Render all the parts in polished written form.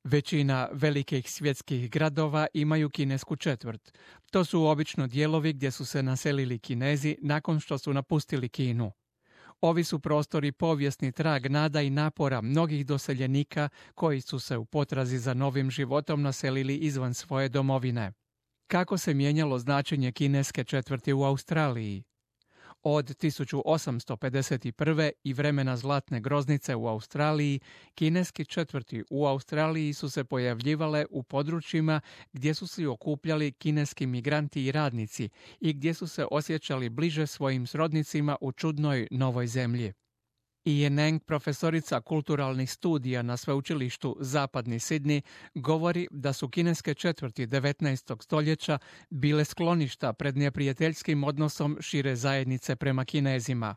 Većina velikih svjetskih gradova imaju kinesku četvrt. To su obično dijelovi gdje su se naselili Kinezi nakon što su napustili Kinu. Ovi su prostori povijesni trag nada i napora mnogih doseljenika koji su se u potrazi za novim životom naselili izvan svoje domovine. Kako se mijenjalo značenje kineske četvrti u Australiji? Od 1851. i vremena zlatne groznice u Australiji, kineski četvrti u Australiji su se pojavljivale u područjima gdje su se okupljali kineski migranti i radnici i gdje su se osjećali bliže svojim srodnicima u čudnoj novoj zemlji. Ian Eng, profesorica kulturalnih studija na sveučilištu Zapadni Sidney, govori da su kineske četvrti 19. stoljeća bile skloništa pred neprijateljskim odnosom šire zajednice prema Kinezima.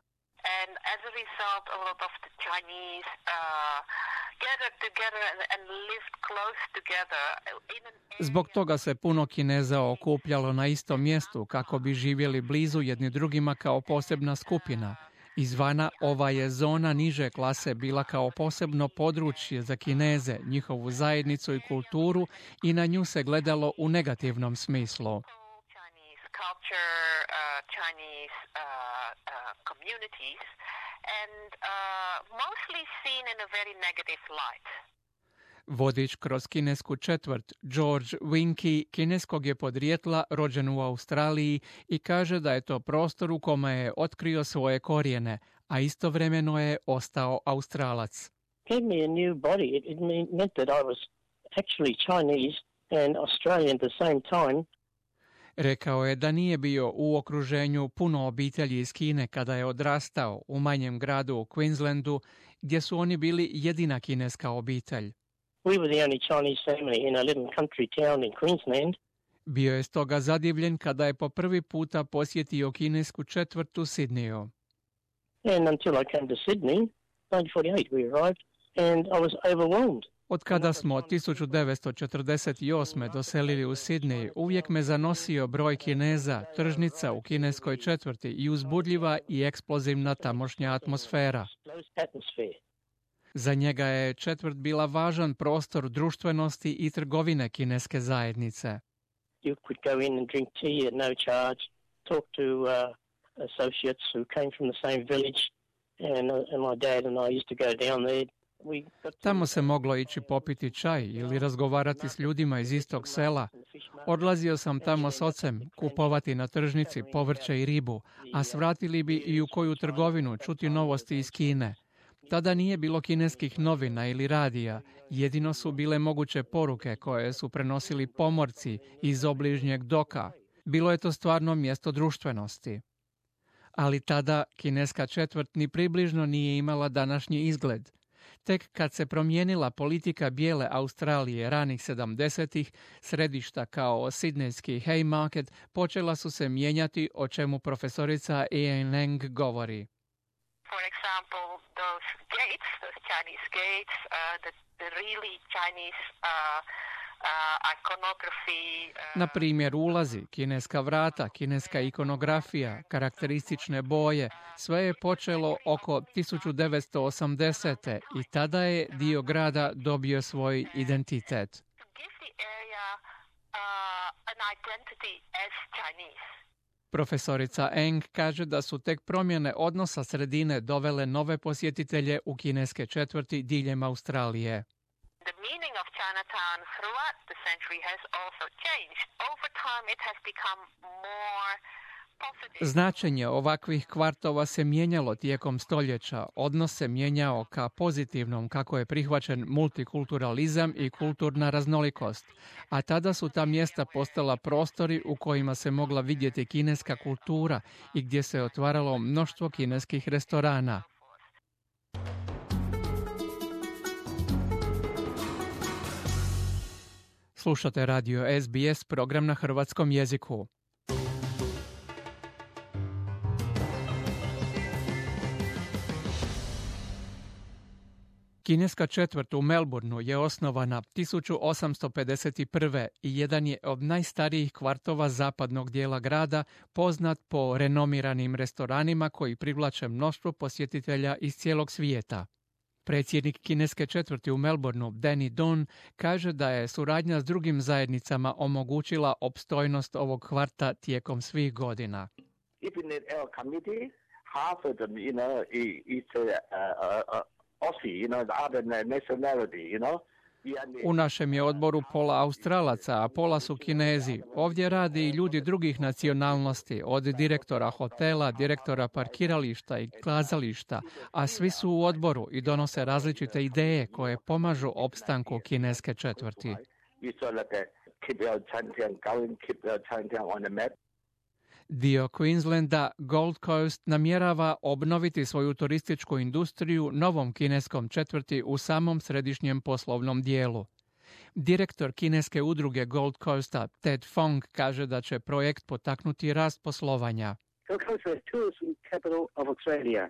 Zbog toga se puno Kineza okupljalo na istom mjestu kako bi živjeli blizu jedni drugima kao posebna skupina. Izvana ova je zona niže klase bila kao posebno područje za Kineze, njihovu zajednicu i kulturu i na nju se gledalo u negativnom smislu. Vodič kroz kinesku četvrt, George Winky, kineskog je podrijetla, rođen u Australiji i kaže da je to prostor u kome je otkrio svoje korijene, a istovremeno je ostao Australac. Gave me a new body. It meant that I was actually Chinese and Australian at the same time. Rekao je da nije bio u okruženju puno obitelji iz Kine kada je odrastao u manjem gradu u Queenslandu, gdje su oni bili jedina kineska obitelj. We were the only Chinese family in a little country town in Queensland. Bio je stoga zadivljen kada je po prvi puta posjetio kinesku četvrt u Sidneyu. And until I came to Sydney, 1948 we arrived, and I was overwhelmed. Od kada smo 1948. doselili u Sidney, uvijek me zanosio broj Kineza, tržnica u kineskoj četvrti i uzbudljiva i eksplozivna tamošnja atmosfera. Za njega je četvrt bila važan prostor društvenosti i trgovine kineske zajednice. You could go in and drink tea at no charge, talk to associates who came from the same village, and my dad and I used to go down there. Tamo se moglo ići popiti čaj ili razgovarati s ljudima iz istog sela. Odlazio sam tamo s ocem, kupovati na tržnici povrće i ribu, a svratili bi i u koju trgovinu čuti novosti iz Kine. Tada nije bilo kineskih novina ili radija, jedino su bile moguće poruke koje su prenosili pomorci iz obližnjeg doka. Bilo je to stvarno mjesto društvenosti. Ali tada kineska četvrt ni približno nije imala današnji izgled. Tek kad se promijenila politika bijele Australije ranih 70-ih, središta kao sidnejski Haymarket počela su se mijenjati, o čemu profesorica Ian Eng govori. For example, those gates, those Chinese gates, the really Chinese iconography. Na primjer, ulazi, kineska vrata, kineska ikonografija, karakteristične boje, sve je počelo oko 1980. i tada je dio grada dobio svoj identitet. To give the area an identity as Chinese. Profesorica Eng kaže da su tek promjene odnosa sredine dovele nove posjetitelje u kineske četvrti diljem Australije. The meaning of Chinatown throughout the century has also changed. Over time it has become more positive. Značenje ovakvih kvartova se mijenjalo tijekom stoljeća, odnos se mijenjao ka pozitivnom kako je prihvaćen multikulturalizam i kulturna raznolikost, a tada su ta mjesta postala prostori u kojima se mogla vidjeti kineska kultura i gdje se otvaralo mnoštvo kineskih restorana. Slušate radio SBS, program na hrvatskom jeziku. Kineska četvrt u Melbourneu je osnovana 1851. i jedan je od najstarijih kvartova zapadnog dijela grada, poznat po renomiranim restoranima koji privlače mnoštvo posjetitelja iz cijelog svijeta. Predsjednik kineske četvrti u Melbourneu, Danny Don, kaže da je suradnja s drugim zajednicama omogućila opstojnost ovog kvarta tijekom svih godina. Half of them, is Aussie, the other nationality, U našem je odboru pola Australaca, a pola su Kinezi. Ovdje radi i ljudi drugih nacionalnosti, od direktora hotela, direktora parkirališta i kazališta, a svi su u odboru i donose različite ideje koje pomažu opstanku kineske četvrti. Dio Queenslanda, Gold Coast, namjerava obnoviti svoju turističku industriju novom kineskom četvrti u samom središnjem poslovnom dijelu. Direktor kineske udruge Gold Coasta, Ted Fong, kaže da će projekt potaknuti rast poslovanja. Gold Coast is tourism capital of Australia,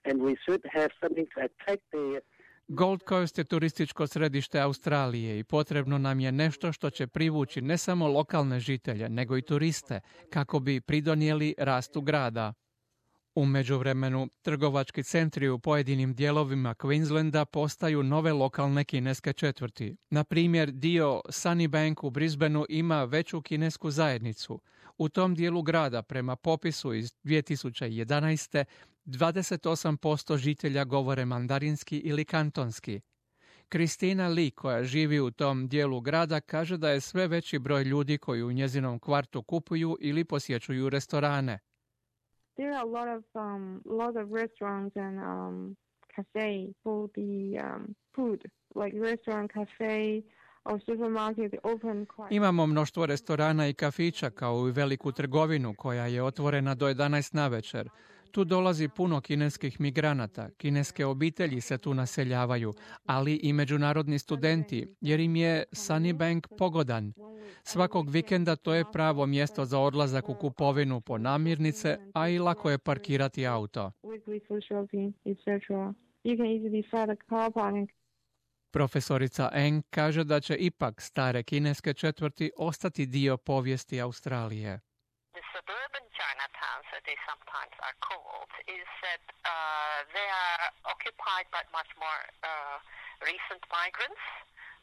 and we should have something to attract the Gold Coast je turističko središte Australije i potrebno nam je nešto što će privući ne samo lokalne žitelje, nego i turiste, kako bi pridonijeli rastu grada. U međuvremenu, trgovački centri u pojedinim dijelovima Queenslanda postaju nove lokalne kineske četvrti. Na primjer, dio Sunnybank u Brisbaneu ima veću kinesku zajednicu. U tom dijelu grada, prema popisu iz 2011. 28% žitelja govore mandarinski ili kantonski. Kristina Lee, koja živi u tom dijelu grada, kaže da je sve veći broj ljudi koji u njezinom kvartu kupuju ili posjećuju restorane. There are a lot of restaurants and cafes for the food, like restaurant, cafe or supermarket open quite. Imamo mnoštvo restorana i kafića kao i veliku trgovinu koja je otvorena do 11 navečer. Tu dolazi puno kineskih migranata, kineske obitelji se tu naseljavaju, ali i međunarodni studenti, jer im je Sunnybank pogodan. Svakog vikenda to je pravo mjesto za odlazak u kupovinu po namirnice, a i lako je parkirati auto. Profesorica Eng kaže da će ipak stare kineske četvrti ostati dio povijesti Australije. Chinatowns, as they sometimes are called, is that they are occupied by much more recent migrants.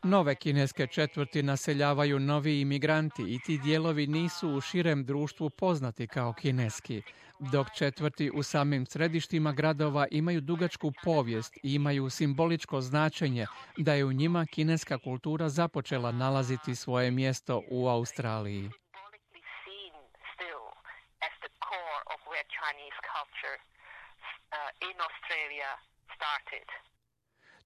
Nove kineske četvrti naseljavaju novi imigranti i ti dijelovi nisu u širem društvu poznati kao kineski, dok četvrti u samim središtima gradova imaju dugačku povijest i imaju simboličko značenje da je u njima kineska kultura započela nalaziti svoje mjesto u Australiji. Chinese culture in Australia started.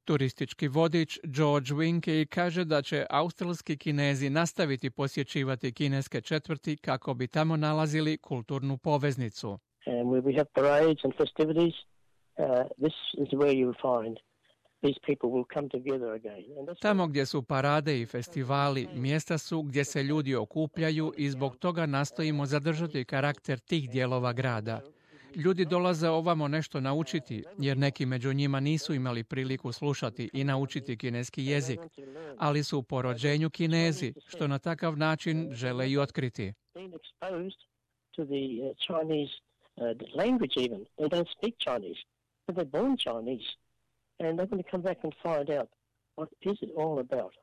Turistički vodič George Winky kaže da će australski Kinezi nastaviti posjećivati kineske četvrti kako bi tamo nalazili kulturnu poveznicu. And where we have parades and festivities, this is where you will find these people will come together again. Tamo gdje su parade i festivali, mjesta su gdje se ljudi okupljaju i zbog toga nastojimo zadržati karakter tih dijelova grada. Ljudi dolaze ovamo nešto naučiti, jer neki među njima nisu imali priliku slušati i naučiti kineski jezik, ali su po rođenju Kinezi, što na takav način žele i otkriti. And they're going to come back and find out what is it all about.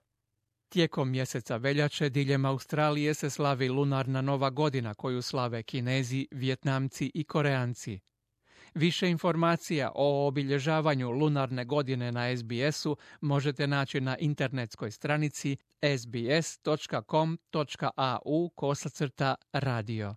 Tijekom mjeseca veljače diljem Australije se slavi lunarna nova godina koju slave Kinezi, Vjetnamci i Koreanci. Više informacija o obilježavanju lunarne godine na SBS-u možete naći na internetskoj stranici sbs.com.au/radio.